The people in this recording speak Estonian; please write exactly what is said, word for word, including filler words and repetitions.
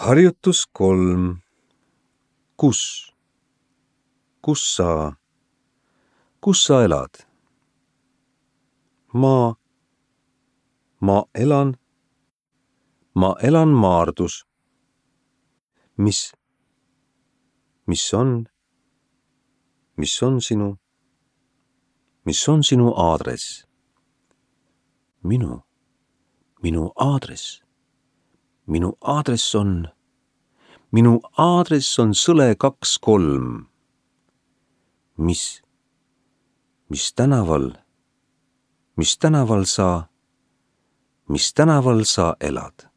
Harjutus kolm. Kus? Kus sa? Kus sa elad? Ma. Ma elan. Ma elan Maardus. Mis? Mis on? Mis on sinu? Mis on sinu aadress? Minu. Minu aadress. Minu aadress on. Minu aadress on Sõle kaks kolm. Mis? Mis tänaval? Mis tänaval sa? Mis tänaval sa elad?